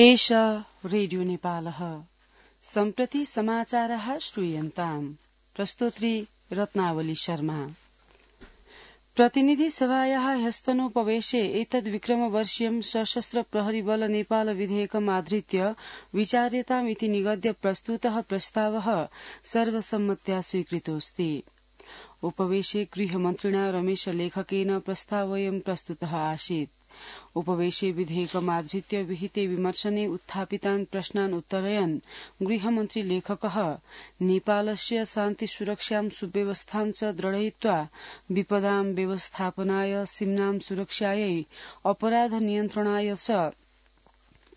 एषा रेडियो नेपालः। सम्प्रति समाचारः श्रूयन्ताम्। प्रस्तोत्री रत्नावली शर्मा। प्रतिनिधि सभायाः ह्यस्तनोपवेशे एतद्विक्रमवर्षीयं सशस्त्र प्रहरी बल नेपाल विधेयकम् आधृत्य विचार्यतामिति निगद्य प्रस्तुतः प्रस्तावः सर्वसम्मत्या स्वीकृतोऽस्ति। उपवेशे गृहमन्त्रिणा रमेश लेखकेन प्रस्तावोऽयं प्रस्तुतः आसीत्। उपवेशे विधेयकमाधृत्य विहिते विमर्शने उत्थापितान् प्रश्नान् उत्तरयन् गृहमन्त्री लेखकः नेपालस्य शान्ति सुरक्षां सुव्यवस्थां च दृढयित्वा विपदां व्यवस्थापनाय सीम्नां सुरक्षायै अपराध नियन्त्रणाय च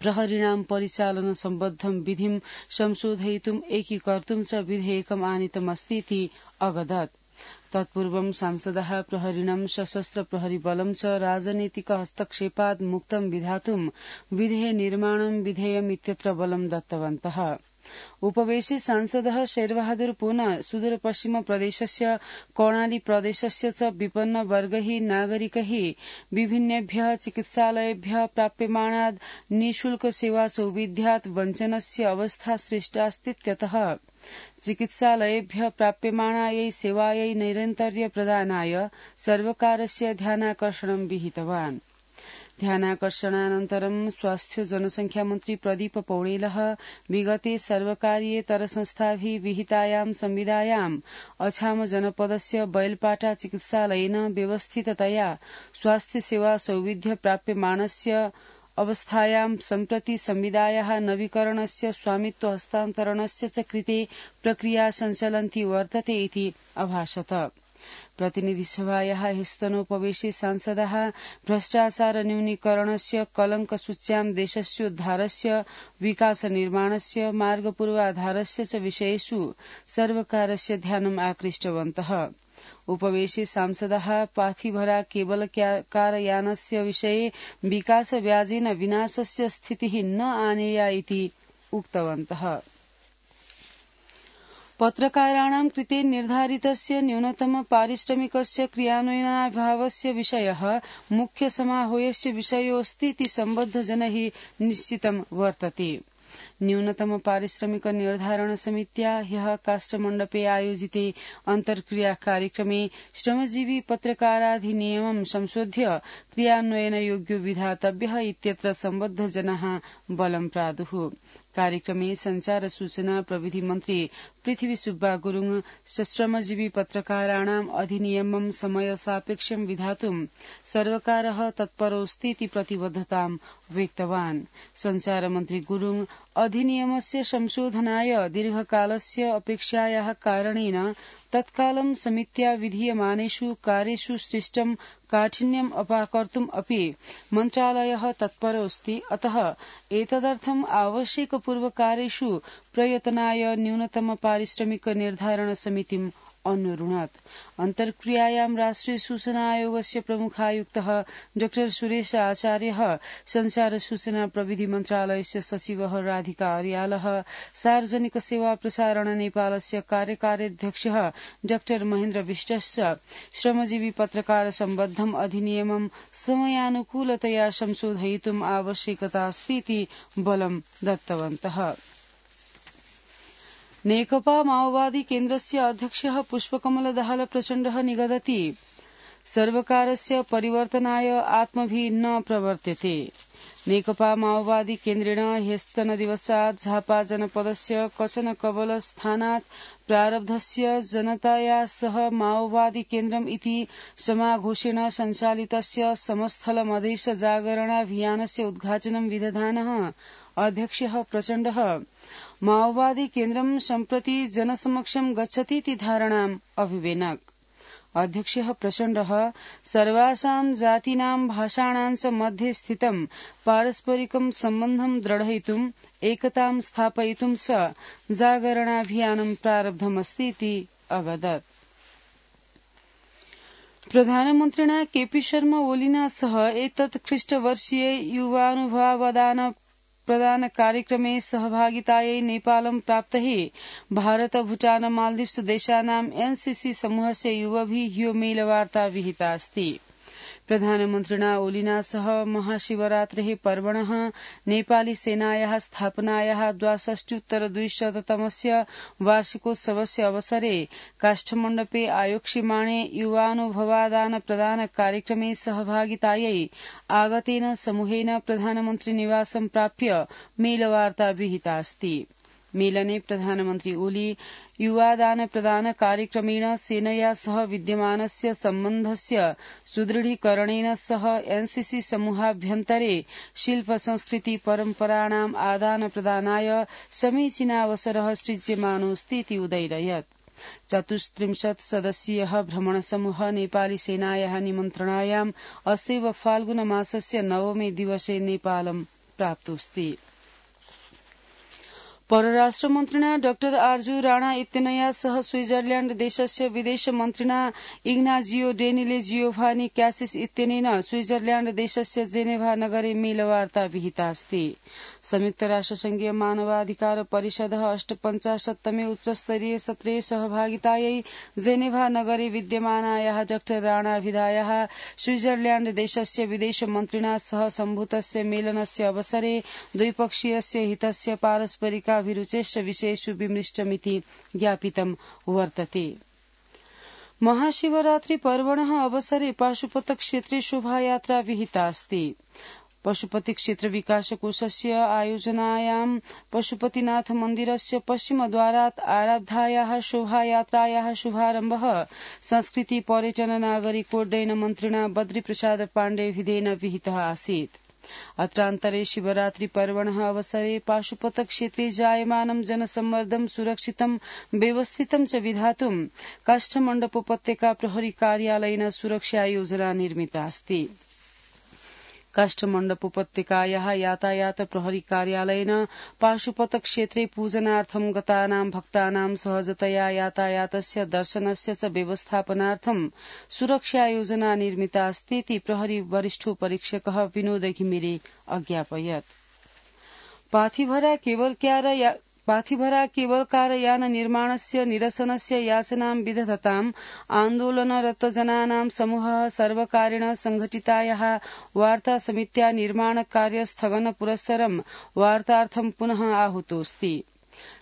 प्रहरीणां परिचालन सम्बद्धं विधिं संशोधयितुम् एकीकर्तुं च विधेयकम् आनीतमस्तीति अवदत्। तत्पूर्वं सांसदः प्रहरीणं सशस्त्र प्रहरी बलं च राजनीतिक हस्तक्षेपात् मुक्तं विधातुं विधेय निर्माणं विधेयमित्यत्र बलं दत्तवन्तः। उपवेशे सांसदः शेरबहादुर पुनः सुदूर पश्चिम प्रदेशस्य कर्णाली प्रदेशस्य च विपन्न वर्गैः नागरिकैः विभिन्नेभ्यः चिकित्सालयेभ्यः प्राप्यमाणाद् निःशुल्क सेवा सौविध्यात् वञ्चनस्य अवस्था सृष्टास्तीत्यतः चिकित्सालयेभ्यः प्राप्यमाणायै सेवायै नैरन्तर्य प्रदानाय सर्वकारस्य ध्यानाकर्षणं विहितवान्। ध्यानाकर्षणानन्तरं स्वास्थ्य जनसंख्या मन्त्री प्रदीप पौडेलः विगते सर्वकारीयेतर संस्थाभिः विहितायां संविदायाम् अछाम जनपदस्य बैलपाटा चिकित्सालयेन व्यवस्थिततया स्वास्थ्य सेवा सौविध्य प्राप्यमाणस्य अवस्थायां सम्प्रति संविदायाः नवीकरणस्य स्वामित्व हस्तान्तरणस्य च कृते प्रक्रिया सञ्चलन्ती वर्तते इति अभाषत। प्रतिनिधिसभायाः ह्यस्तनोपवेशे सांसदः भ्रष्टाचार न्यूनीकरणस्य कलङ्कसूच्यां देशस्योद्धारस्य विकासनिर्माणस्य मार्गपूर्वाधारस्य च विषयेषु सर्वकारस्य ध्यानम् आकृष्टवन्तः। उपवेशे सांसदः पाथिभरा केबल कारयानस्य विषये विकासव्याजेन विनाशस्य स्थितिः न आनेया इति उक्तवन्तः। पत्रकाराणां कृते निर्धारितस्य न्यूनतम पारिश्रमिकस्य क्रियान्वयनाभावस्य विषयः मुख्य समारोहस्य विषयोऽस्ति इति सम्बद्धजनैः निश्चितं वर्तते। न्यूनतम पारिश्रमिक निर्धारण समित्या ह्यः काष्ठमण्डपे आयोजिते अन्तर्क्रिया कार्यक्रमे श्रमजीवी पत्रकाराधिनियमं संशोध्य क्रियान्वयनयोग्यो विधातव्यः इत्यत्र सम्बद्धजनाः बलं प्रादुः। कार्यक्रमे संचार सूचना प्रविधि मन्त्री पृथ्वी सुब्बा गुरुङ श्रमजीवी पत्रकाराणाम् अधिनियमं समय सापेक्षं विधातुं सर्वकारः तत्परोऽस्ति इति प्रतिबद्धतां व्यक्तवान्। संचार मन्त्री गुरुङ अधिनियमस्य संशोधनाय दीर्घकालस्य अपेक्षायाः कारणेन तत्कालं समित्या विधीयमानेषु कार्येषु सृष्टं काठिन्यम् अपाकर्तुम् अपि मन्त्रालयः तत्परोऽस्ति। अतः एतदर्थम् आवश्यकपूर्वकार्येषु प्रयत्नाय न्यूनतम पारिश्रमिक निर्धारण समितिम् अनुरुणत्। अन्तर्क्रियायां राष्ट्रिय सूचना आयोगस्य प्रमुखायुक्तः डॉ सुरेश आचार्यः, संचार सूचना प्रविधि मन्त्रालयस्य सचिवः राधिका अर्यालः, सार्वजनिक सेवा प्रसारण नेपालस्य कार्यकार्याध्यक्षः डॉ महेन्द्र विष्टश्च श्रमजीवी पत्रकार सम्बद्धम् अधिनियमं समयानुकूलतया संशोधयितुम् आवश्यकतास्ति इति बलं दत्तवन्तः। नेकपा माओवादी केन्द्रस्य अध्यक्षः पुष्पकमल दाहाल प्रचण्डः निगदति सर्वकारस्य परिवर्तनाय आत्मभिः न प्रवर्त्यते। नेकपा माओवादी केन्द्रेण ह्यस्तनदिवसात् झापा जनपदस्य कचन कबल स्थानात् प्रारब्धस्य जनताया सह माओवादी केन्द्रम् इति समाघोषेण सञ्चालितस्य समस्थल मधेश जागरणाभियानस्य उद्घाटनं विदधानः अध्यक्षः प्रचण्डः माओवादी केन्द्रं सम्प्रति जनसमक्षं गच्छतीति धारणाम् अभिवेनक। अध्यक्षः प्रचण्डः सर्वासां जातीनां भाषाणां च मध्ये स्थितं पारस्परिकं सम्बन्धं दृढयितुम् एकतां स्थापयितुं च जागरणाभियानं प्रारब्धमस्ति इति अवदत्। प्रधानमन्त्रिणा केपी शर्मा ओलीना सह एतत् ख्रीष्टवर्षीय युवानुभावदान प्रदान कार्यक्रमे सहभागितायै नेपालं प्राप्तैः भारत भूटान मालदीव्स देशानां एनसीसी समूहस्य युवभिः ह्यो मेलवार्ता विहिता अस्ति। प्रधानमन्त्रिणा ओलीना सह महाशिवरात्रेः पर्वणः नेपाली सेनायाः स्थापनायाः 62-तमस्य वार्षिकोत्सवस्य अवसरे काष्ठमण्डपे आयोक्ष्यमाणे युवानुभवादान प्रदान कार्यक्रमे सहभागितायै आगतेन समूहेन प्रधानमन्त्री निवासं प्राप्य मेलवार्ता विहिता अस्ति। मेलने प्रधानमन्त्री ओली युवादान प्रदान कार्यक्रमेण सेनया सह विद्यमानस्य सम्बन्धस्य सुदृढीकरणेन सह एनसीसी समूहाभ्यन्तरे शिल्प संस्कृति परम्पराणाम् आदान प्रदानाय समीचीनावसरः सृज्यमानोऽस्ति इति उदयरयत्। 34 सदस्यीयः भ्रमणसमूहः नेपाली सेनायाः निमन्त्रणायाम् अस्यैव फाल्गुनमासस्य 9 दिवसे नेपालं प्राप्तोऽस्ति। परराष्ट्रमन्त्रिणा डॉ आर्जू राणा इत्यनया सह स्विट्जरलैण्ड देशस्य विदेशमन्त्रिणा इग्नाजियो डेनिले जियोभानी क्यासिस इत्यनेन स्विट्जरलैण्ड देशस्य जेनेभा नगरे मेलवार्ता विहिता अस्ति। संयुक्त राष्ट्रसंघीय मानवाधिकार परिषदः 58तमे उच्चस्तरीय सत्रे सहभागितायै जेनेभा नगरे विद्यमानायाः डॉ राणाभिधायाः स्विट्जरलैण्ड देशस्य विदेशमन्त्रिणा सह सम्भूतस्य मेलनस्य अवसरे द्विपक्षीयस्य हितस्य पारस्परिकाभिरुचेश्च विषयेषु विमृष्टमिति ज्ञापितं वर्तते। महाशिवरात्रि पर्वणः अवसरे पाशुपत क्षेत्रे शोभायात्रा विहिता अस्ति। पशुपति क्षेत्र विकास कोषस्य आयोजनायां पशुपतिनाथ मन्दिरस्य पश्चिमद्वारात् आरब्धायाः शोभायात्रायाः शुभारम्भः संस्कृति पर्यटन नागरिकोड्डयन मन्त्रिणा बद्रीप्रसाद पाण्डेभिधेन विहितः आसीत्। अत्रान्तरे शिवरात्रि पर्वणः अवसरे पाशुपत क्षेत्रे जायमानं जनसम्मर्दं सुरक्षितं व्यवस्थितं च विधातुं काष्ठमण्डपोपत्यका प्रहरी कार्यालयेन सुरक्षा योजना निर्मिता अस्ति। काष्ठमण्डपोपत्यकायाः यातायात प्रहरी कार्यालयेन पाशुपत क्षेत्रे पूजनार्थं गतानां भक्तानां सहजतया यातायातस्य दर्शनस्य च व्यवस्थापनार्थं सुरक्षा योजना निर्मिता अस्ति इति प्रहरी वरिष्ठोपरीक्षकः विनोद घिमिरे अज्ञापयत्। पाथिभरा केवलकारयान निर्माणस्य निरसनस्य याचनां विदधताम् आन्दोलनरत जनानां समूहः सर्वकारेण संघटितायाः वार्ता समित्या निर्माण कार्य स्थगन पुरस्सरं वार्तार्थं पुनः आहूतोऽस्ति।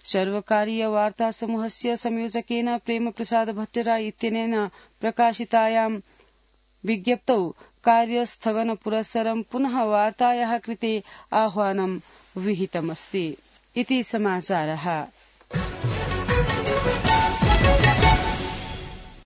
सर्वकारीय वार्ता समूहस्य संयोजकेन प्रेम प्रसाद भट्टराय इत्यनेन प्रकाशितायां विज्ञप्तौ कार्यस्थगन पुरस्सरं पुनः वार्तायाः कृते आह्वानं विहितमस्ति इति समाचारः।